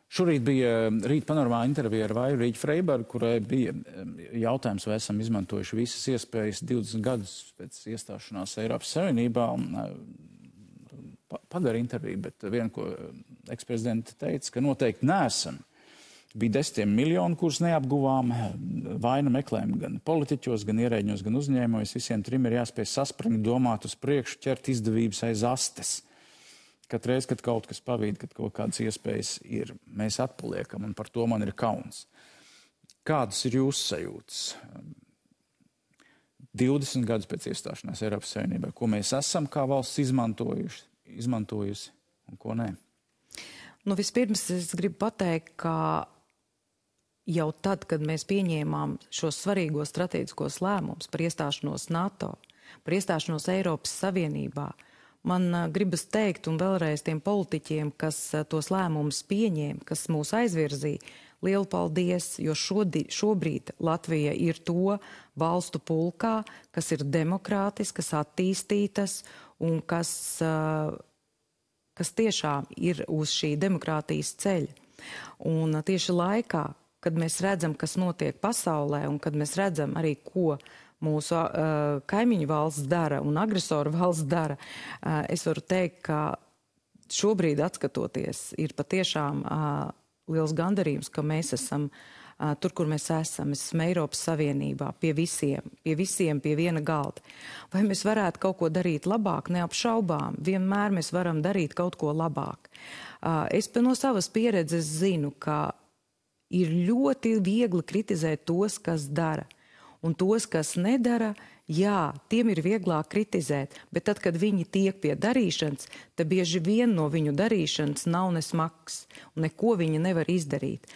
Šorīt bija Rīt panorāmā intervija ar Vairu Rīķu Freibergu, kurai bija jautājums, vai esam izmantojuši visas iespējas divdesmit gadus pēc iestāšanās Eiropas Savienībā. Padara interviju, bet viena, ko eksprezidenta teica, ka noteikti neesam. Bija desmitiem miljoni, kurus neapguvām, vainu meklējam gan politiķos, gan ierēģņos, gan uzņēmējos. Visiem trim ir jāspēj saspringt, domāt uz priekšu, ķert izdevības aiz astes. Katreiz, kad kaut kas pavīd, kad kaut kādas iespējas ir, mēs atpaliekam, un par to man ir kauns. Kādas ir jūsu sajūtas? divdesmit gadus pēc iestāšanās Eiropas Savienībā, ko mēs esam kā valsts izmantojuši, izmantojusi un ko nē? Nu, vispirms es gribu pateikt, ka jau tad, kad mēs pieņēmām šos svarīgos strateģiskos lēmumus par iestāšanos NATO, par iestāšanos Eiropas Savienībā, man gribas teikt, un vēlreiz tiem politiķiem, kas tos lēmumus pieņēma, kas mūs aizvirzīja, lielu paldies, jo šodī, šobrīd Latvija ir to valstu pulkā, kas ir demokrātiskas, attīstītas un kas, kas tiešām ir uz šī demokrātijas ceļa. Un tieši laikā, kad mēs redzam, kas notiek pasaulē, un kad mēs redzam arī, ko mūsu uh, kaimiņu valsts dara un agresoru valsts dara, uh, es varu teikt, ka šobrīd atskatoties ir patiešām uh, liels gandarījums, ka mēs esam uh, tur, kur mēs esam. Mēs esam Eiropas Savienībā pie visiem, pie visiem, pie viena galda. Vai mēs varētu kaut ko darīt labāk? Neapšaubām. Vienmēr mēs varam darīt kaut ko labāk. Uh, es no savas pieredzes zinu, ka ir ļoti viegli kritizēt tos, kas dara. Un tos, kas nedara, jā, tiem ir vieglāk kritizēt, bet tad, kad viņi tiek pie darīšanas, tad bieži vien no viņu darīšanas nav nesmags, un neko viņi nevar izdarīt.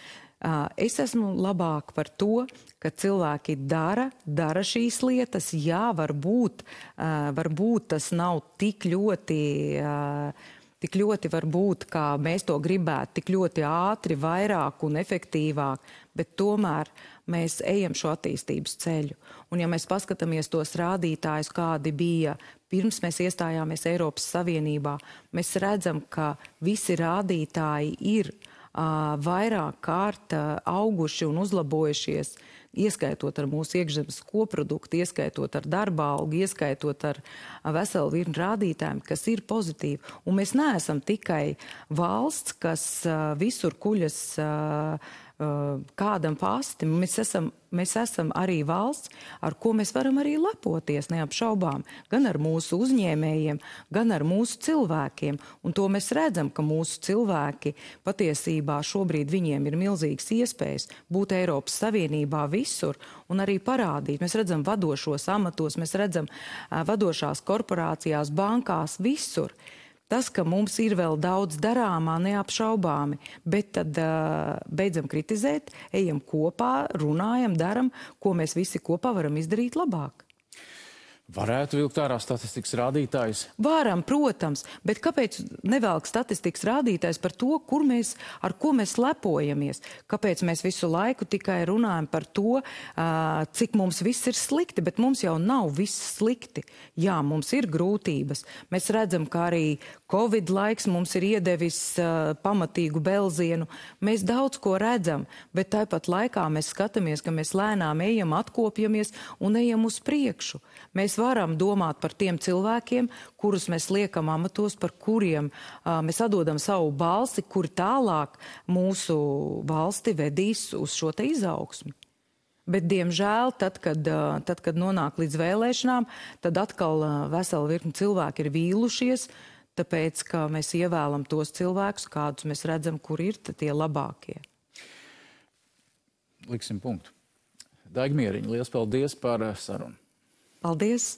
Es esmu labāk par to, ka cilvēki dara, dara šīs lietas, jā, varbūt, varbūt tas nav tik ļoti... tik ļoti varbūt, kā mēs to gribētu, tik ļoti ātri, vairāk un efektīvāk, bet tomēr mēs ejam šo attīstības ceļu. Un ja mēs paskatāmies tos rādītājus, kādi bija pirms mēs iestājāmies Eiropas Savienībā, mēs redzam, ka visi rādītāji ir uh, vairāk kārt uh, auguši un uzlabojušies, ieskaitot ar mūsu iekšzemes koproduktu, ieskaitot ar darba algu, ieskaitot ar veselu virkni rādītājiem, kas ir pozitīvi. Un mēs neesam tikai valsts, kas uh, visur kuļas uh, uh, kādam pasti. Mēs esam, mēs esam arī valsts, ar ko mēs varam arī lepoties, neapšaubām. Gan ar mūsu uzņēmējiem, gan ar mūsu cilvēkiem. Un to mēs redzam, ka mūsu cilvēki patiesībā šobrīd viņiem ir milzīgas iespējas būt Eiropas Savienībā visur un arī parādīt. Mēs redzam vadošos amatos, mēs redzam uh, vadošās korporācijās, bankās, visur. Tas, ka mums ir vēl daudz darāmā, neapšaubāmi, bet tad uh, beidzam kritizēt, ejam kopā, runājam, daram, ko mēs visi kopā varam izdarīt labāk. Varētu vilkt ārā statistikas rādītājus? Varam, protams, bet kāpēc nevelk statistikas rādītājs par to, kur mēs, ar ko mēs lepojamies? Kāpēc mēs visu laiku tikai runājam par to, uh, cik mums viss ir slikti, bet mums jau nav viss slikti. Jā, mums ir grūtības. Mēs redzam, ka arī Covid laiks mums ir iedevis uh, pamatīgu belzienu. Mēs daudz ko redzam, bet tāpat laikā mēs skatāmies, ka mēs lēnām ejam, atkopjamies un ejam uz priekšu. Mēs varam domāt par tiem cilvēkiem, kurus mēs liekam amatos, par kuriem uh, mēs atdodam savu balsi, kuri tālāk mūsu valsti vedīs uz šo te izaugsmi. Bet, diemžēl, tad, kad, uh, tad, kad nonāk līdz vēlēšanām, tad atkal uh, vesela virkni cilvēki ir vīlušies, tāpēc, ka mēs ievēlam tos cilvēkus, kādus mēs redzam, kur ir tie labākie. Liksim punktu. Daiga Mieriņa, liels paldies par sarunu. Paldies!